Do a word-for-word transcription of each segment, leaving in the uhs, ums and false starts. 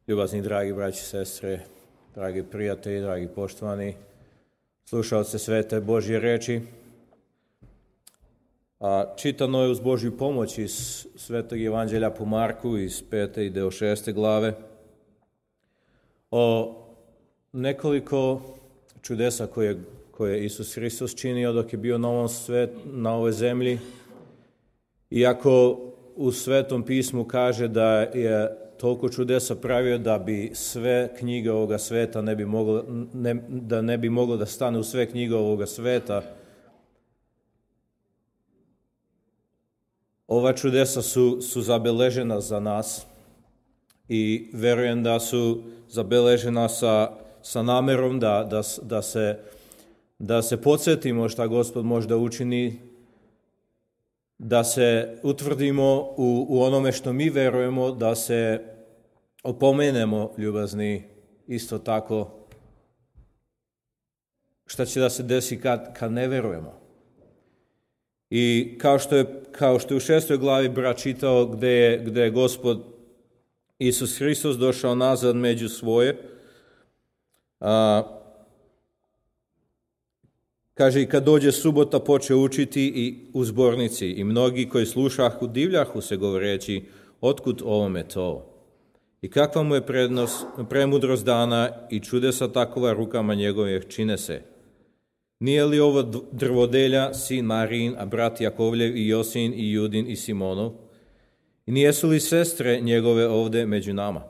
Ljubazni dragi braći i sestre, dragi prijatelji, dragi poštovani slušalci svete Božje reči, a čitano je uz Božju pomoć iz Svetog Evanđelja po Marku iz pete i deo šeste glave o nekoliko čudesa koje, koje Isus Hristos činio dok je bio na, ovom svet, na ovoj zemlji. Iako u Svetom pismu kaže da je toliko čudesa pravio da bi sve knjige ovoga sveta ne bi moglo, ne, da ne bi moglo da stane u sve knjige ovoga sveta, ova čudesa su, su zabeležena za nas i verujem da su zabeležena sa, sa namerom da, da, da, se, da se podsjetimo šta Gospod može da učini, da se utvrdimo u, u onome što mi verujemo, da se opomenemo, ljubazni, isto tako šta će da se desi kad, kad ne verujemo. I kao što je, kao što je u šestoj glavi brat čitao gde je, gde je Gospod Isus Hristos došao nazad među svoje, a, kaže, i kad dođe subota poče učiti i u zbornici, i mnogi koji slušahu divljahu se govoreći, otkud ovome to? I kakva mu je prednost, premudrost dana i čudesa takova rukama njegovih čine se? Nije li ovo drvodelja, sin Marijin, a brat Jakovljev i Josin i Judin i Simonov? I nijesu li sestre njegove ovde među nama?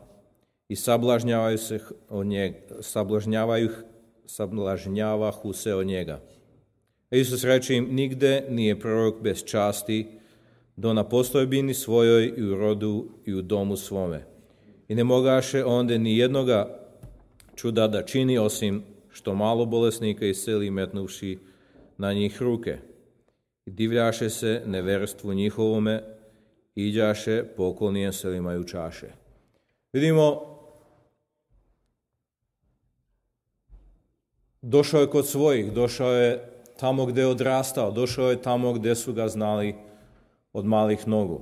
I sablažnjavaju se od njega, sablažnjavaju, sablažnjavahu se od njega. A Isus reče im, nigde nije prorok bez časti, do na postojbini svojoj i u rodu i u domu svome. I ne mogaše onda ni jednoga čuda da čini, osim što malo bolesnika isceli metnuvši na njih ruke. I divljaše se neverstvu njihovome, iđaše poklonijem selima i učaše. Vidimo, došao je kod svojih, došao je tamo gde je odrastao, došao je tamo gde su ga znali od malih nogu.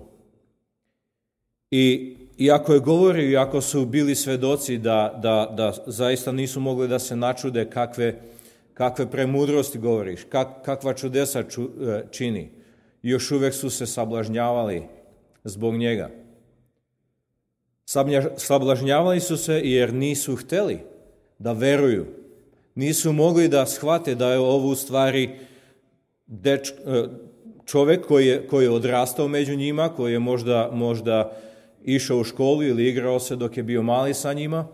I iako je govorio, iako su bili svedoci da, da, da zaista nisu mogli da se načude kakve, kakve premudrosti govoriš, kak, kakva čudesa ču, čini, još uvek su se sablažnjavali zbog njega. Sablažnjavali su se jer nisu hteli da veruju. Nisu mogli da shvate da je ovo u stvari deč, čovek koji je, koji je odrastao među njima, koji je možda, možda išao u školu ili igrao se dok je bio mali sa njima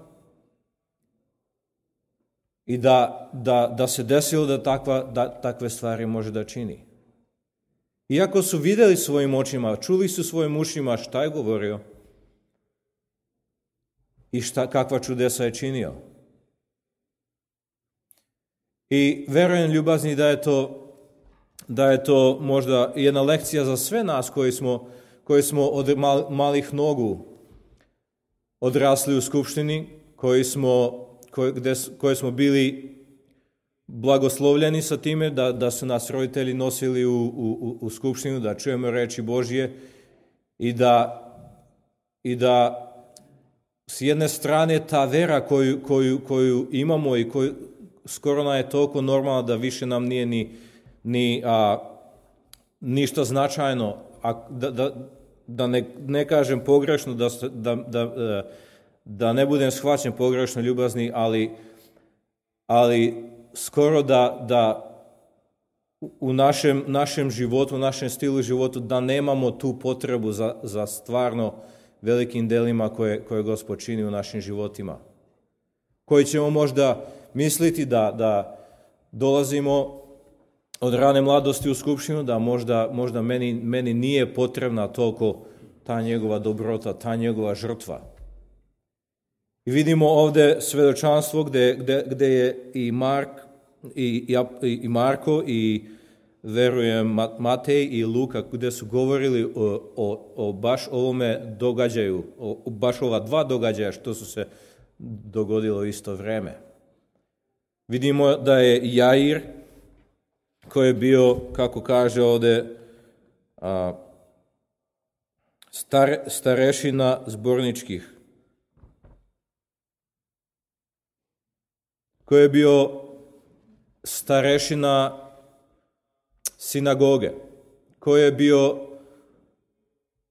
i da, da, da se desilo da, takva, da takve stvari može da čini. Iako su videli svojim očima, čuli su svojim ušima šta je govorio i šta, kakva čudesa je činio. I verujem, ljubazni, da je to, da je to možda jedna lekcija za sve nas koji smo, koji smo od mal, malih nogu odrasli u skupštini, koji smo, koji, gde, koji smo bili blagoslovljeni sa time da, da su nas roditelji nosili u, u, u skupštinu, da čujemo reči Božje i da, i da s jedne strane ta vera koju, koju, koju imamo i koju skoro nam je toliko normalno da više nam nije ni, ni a, ništa značajno, a da, da, da ne, ne kažem pogrešno, da, da, da, da ne budem shvaćen pogrešno, ljubazni, ali, ali skoro da, da u našem, našem životu, u našem stilu životu, da nemamo tu potrebu za, za stvarno velikim delima koje, koje Gospod čini u našim životima. Koji ćemo možda misliti da, da dolazimo od rane mladosti u skupštinu, da možda, možda meni, meni nije potrebna toliko ta njegova dobrota, ta njegova žrtva. I vidimo ovde svedočanstvo gde, gde, gde je i, Mark, i, i, i Marko i verujem Matej i Luka, gde su govorili o, o, o baš ovome događaju, o, o baš ova dva događaja što su se dogodilo u isto vreme. Vidimo da je Jair, koji je bio, kako kaže ovde, a, stare, starešina zborničkih, koji je bio starešina sinagoge, koji je bio,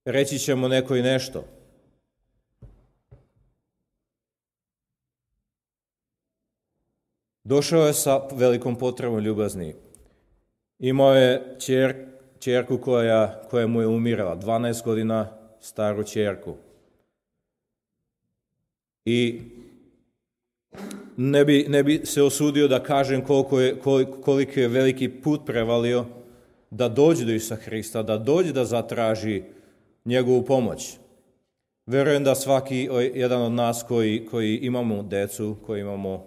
reći ćemo nekoj nešto. Došao je sa velikom potrebom ljubazni. Imao je ćer, ćerku koja, koja mu je umirala, dvanaest godina staru ćerku. I ne bi, ne bi se osudio da kažem koliko je, koliko je veliki put prevalio da dođe do Isusa Hrista, da dođe da zatraži njegovu pomoć. Verujem da svaki jedan od nas koji, koji imamo decu, koji imamo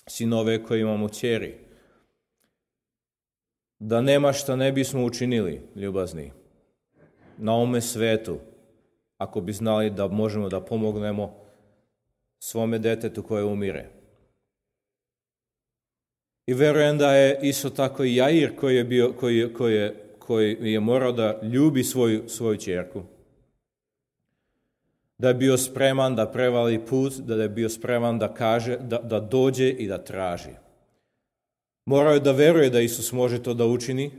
sinove, koji imamo ćeri, da nema šta ne bismo učinili, ljubazni, na ovome svetu, ako bi znali da možemo da pomognemo svome detetu koje umire. I verujem da je isto tako i Jair koji je, bio, koji je, koji je, koji je morao da ljubi svoju, svoju ćerku. Da je bio spreman da prevali put, da je bio spreman da kaže, da, da dođe i da traži. Morao je da veruje da Isus može to da učini.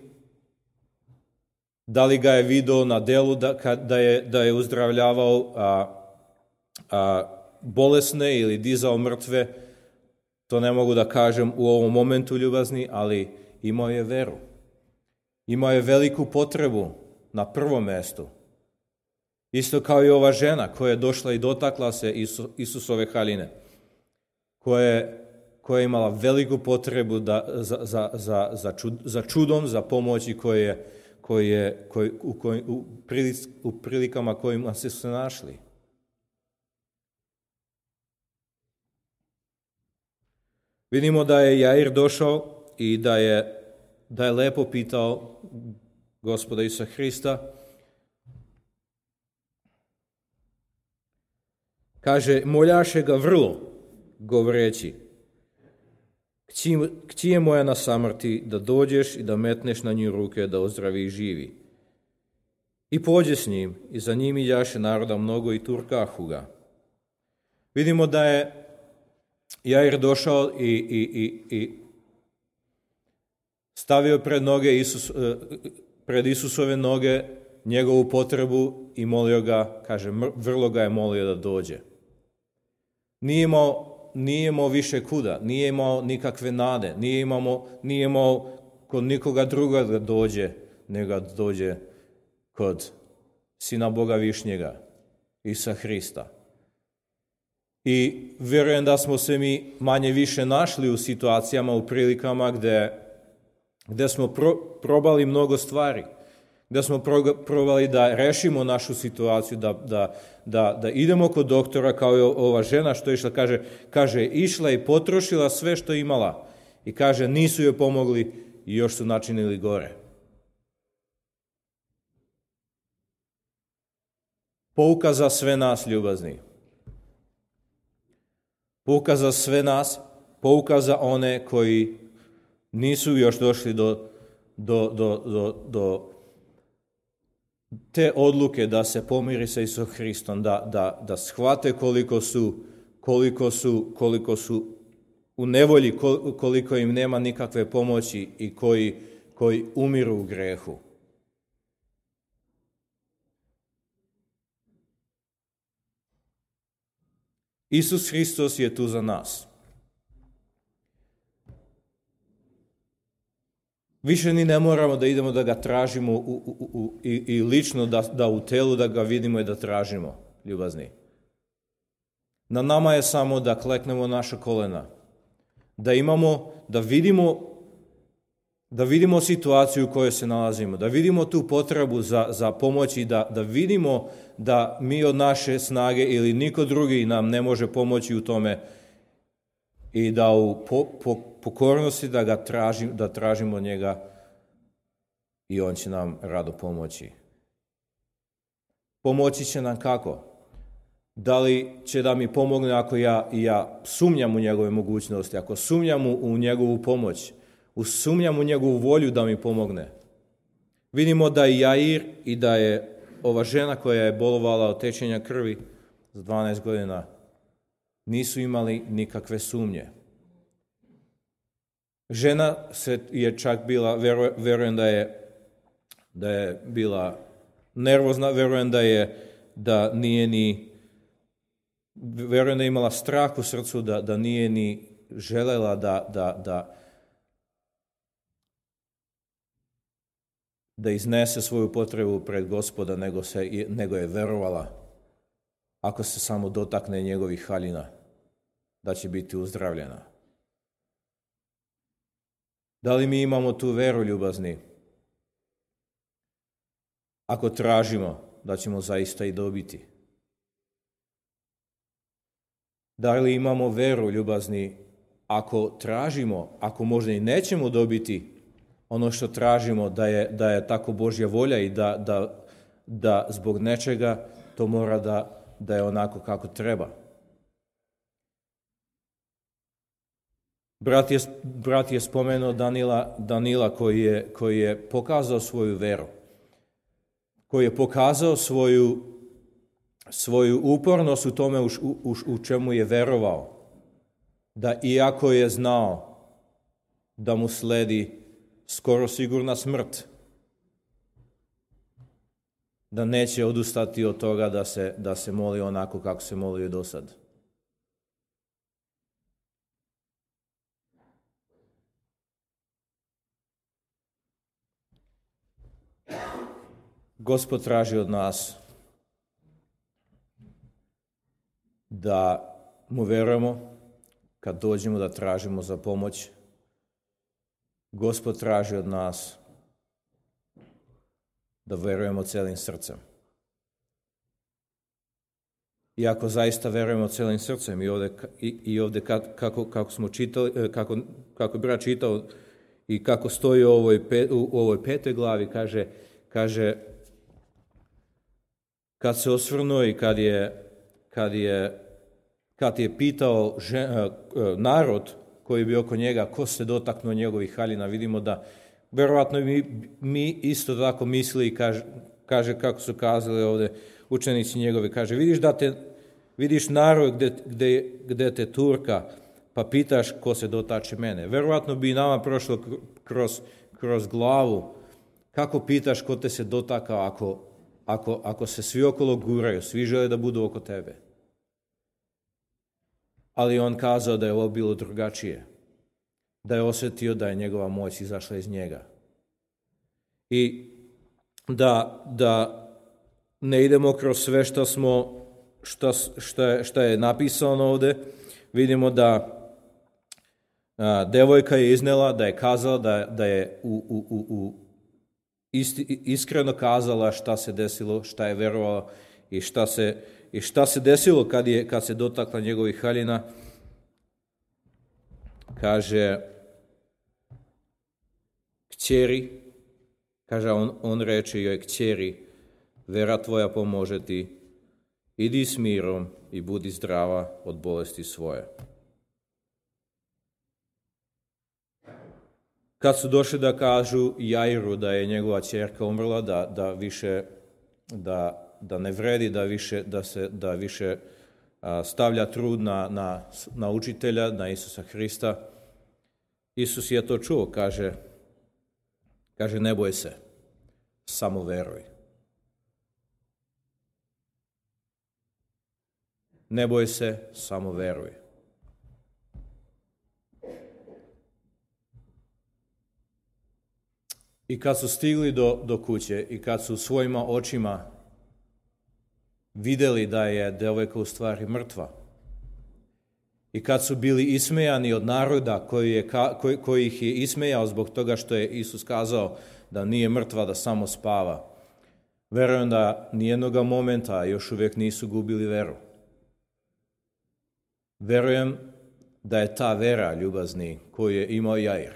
Da li ga je video na delu da, da, je, da je uzdravljavao a, a, bolesne ili dizao mrtve, to ne mogu da kažem u ovom momentu, ljubazni, ali imao je veru. Imao je veliku potrebu na prvom mestu. Isto kao i ova žena koja je došla i dotakla se Isu, Isusove haljine, koja je, koja je imala veliku potrebu da, za, za, za, za, čud, za čudom, za pomoći koje je, koje, koje, u, koje, u, prilic, u prilikama kojima se su našli. Vidimo da je Jair došao i da je, da je lepo pitao Gospoda Isusa Hrista. Kaže, moljaše ga vrlo, govoreći, kći, kći je moja na samrti, da dođeš i da metneš na nju ruke, da ozdravi i živi. I pođe s njim, i za njim iđaše naroda mnogo i turkahu ga. Vidimo da je Jair došao i, i, i, i stavio pred noge Isus, pred Isusove noge njegovu potrebu i molio ga, kaže, vrlo ga je molio da dođe. Nije imao, nije imao više kuda, nije imao nikakve nade, nije imao, nije imao kod nikoga druga da dođe, nego da dođe kod Sina Boga Višnjega, Isusa Hrista. I vjerujem da smo se mi manje više našli u situacijama, u prilikama gde, gde smo pro, probali mnogo stvari, gde smo pro, probali da rešimo našu situaciju, da, da, da, da idemo kod doktora kao i ova žena što je išla, kaže, kaže, išla i potrošila sve što je imala i kaže, nisu joj pomogli i još su načinili gore. Pouka za sve nas, ljubazni. Pouka za sve nas, pouka za one koji nisu još došli do, do, do, do, do te odluke da se pomiri sa Isusom Hristom, da, da, da shvate koliko su, koliko su, koliko su u nevolji, koliko im nema nikakve pomoći i koji, koji umiru u grehu. Isus Hristos je tu za nas. Više ni ne moramo da idemo da ga tražimo u, u, u, i, i lično da, da u telu da ga vidimo i da tražimo, ljubazni. Na nama je samo da kleknemo naša kolena, da imamo, da vidimo, da vidimo situaciju u kojoj se nalazimo, da vidimo tu potrebu za, za pomoć i da, da vidimo da mi od naše snage ili niko drugi nam ne može pomoći u tome i da u po, po, pokornosti da ga tražim, da tražimo od njega i on će nam rado pomoći. Pomoći će nam kako? Da li će da mi pomogne ako ja, ja sumnjam u njegove mogućnosti, ako sumnjam u njegovu pomoć, sumnjam u njegovu volju da mi pomogne. Vidimo da je Jair i da je ova žena koja je bolovala od tečenja krvi za dvanaest godina nisu imali nikakve sumnje. Žena se je čak bila, veru, verujem da je, da je bila nervozna, verujem da je, da nije ni, verujem da je imala strah u srcu, da, da nije ni želela da, da, da, da iznese svoju potrebu pred Gospoda, nego, se, nego je verovala, ako se samo dotakne njegovih haljina, da će biti uzdravljena. Da li mi imamo tu veru, ljubazni? Ako tražimo, da ćemo zaista i dobiti. Da li imamo veru, ljubazni, ako tražimo, ako možda i nećemo dobiti ono što tražimo, da je, da je tako Božja volja i da, da, da zbog nečega to mora da, da je onako kako treba. Brat je, brat je spomenuo Danila, Danila koji je, koji je pokazao svoju veru, koji je pokazao svoju, svoju upornost u tome u, u, u čemu je verovao, da iako je znao da mu sledi skoro sigurna smrt, da neće odustati od toga da se, da se moli onako kako se molio do sad. Gospod traži od nas da mu verujemo kad dođemo da tražimo za pomoć. Gospod traži od nas da verujemo celim srcem. I ako zaista verujemo celim srcem, i ovdje, i, i ovdje kako, kako smo čitali, kako, kako je brat čitao i kako stoji u ovoj, pe, u ovoj petoj glavi, kaže, kaže kad se osvrnuo i kad je, kad je, kad je pitao žen, narod koji bi oko njega, ko se dotaknuo njegovih haljina, vidimo da verovatno mi, mi isto tako misli, kaže, kaže kako su kazali ovdje učenici njegovi, kaže vidiš da te, vidiš narod gde, gde, gde te turka, pa pitaš ko se dotače mene. Verovatno bi nama prošlo kroz, kroz glavu, kako pitaš ko te se dotakao ako, ako, ako se svi okolo guraju, svi žele da budu oko tebe. Ali on kazao da je ovo bilo drugačije, da je osjetio da je njegova moć izašla iz njega. I da, da ne idemo kroz sve što smo, šta, šta, šta je napisano ovdje, vidimo da a, devojka je iznela, da je kazala, da, da je u, u, u, u isti, iskreno kazala šta se desilo, šta je verovala i šta se I šta se desilo kad, je, kad se dotakla njegovih haljina? Kaže, kćeri, kaže, on, on reče joj, kćeri, vera tvoja pomože ti, idi s mirom i budi zdrava od bolesti svoje. Kad su došli da kažu Jairu da je njegova ćerka umrla, da, da više, da da ne vredi da više, da se, da više a, stavlja trud na, na, na učitelja, na Isusa Hrista. Isus je to čuo, kaže, kaže ne boj se, samo veruj. Ne boj se, samo veruj. I kad su stigli do, do kuće i kad su svojima očima vidjeli da je devojka u stvari mrtva. I kad su bili ismejani od naroda koji, je, koji, koji ih je ismejao zbog toga što je Isus kazao da nije mrtva, da samo spava. Verujem da nijednog momenta još uvijek nisu gubili veru. Verujem da je ta vera, ljubazni, koju je imao Jair,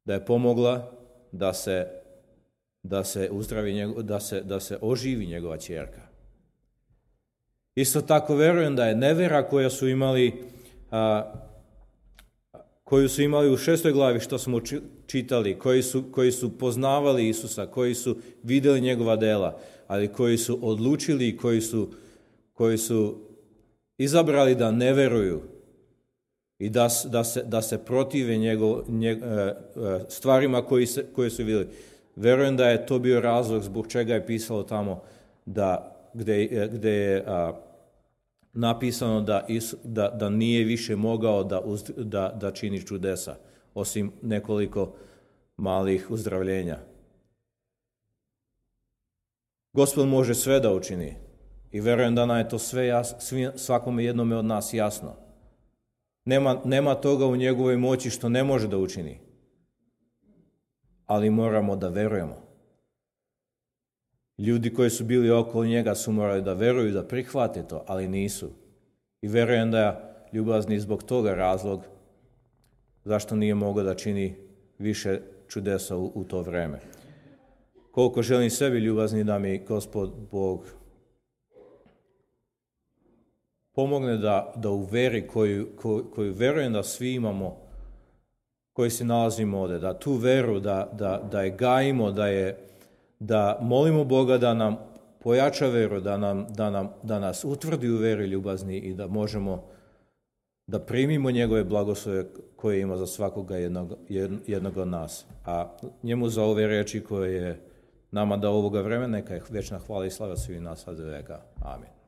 da je pomogla da se da se uzdravi njego, da se da se oživi njegova ćerka. Isto tako verujem da je nevera koja su imali a, koju su imali u šestoj glavi što smo čitali, koji su, koji su poznavali Isusa, koji su vidjeli njegova dela, ali koji su odlučili i koji su, koji su izabrali da ne veruju i da, da, se, da se protive njegov, njeg, stvarima koji se, koje su vidjeli. Verujem da je to bio razlog zbog čega je pisalo tamo da, gde, gde je a, napisano da, Isu, da, da nije više mogao da, da, da čini čudesa, osim nekoliko malih uzdravljenja. Gospod može sve da učini i verujem da nam je to sve jas, svakome jednome od nas jasno. Nema, nema toga u njegovoj moći što ne može da učini, ali moramo da verujemo. Ljudi koji su bili okolo njega su morali da veruju, da prihvate to, ali nisu. I verujem da je ljubazni zbog toga razlog zašto nije mogao da čini više čudesa u, u to vreme. Koliko želim sebi ljubazni da mi Gospod Bog pomogne da, da u veri koju, koju, koju verujem da svi imamo, koji se nalazimo ovdje, da tu veru, da, da, da je gajimo, da, je, da molimo Boga da nam pojača veru, da, nam, da, nam, da nas utvrdi u veri ljubazni i da možemo da primimo njegove blagoslove koje ima za svakoga jednog, jednog od nas. A njemu za ove reči koje je nama da ovoga vremena, neka je večna hvala i slava svih nas, sad veka. Amin.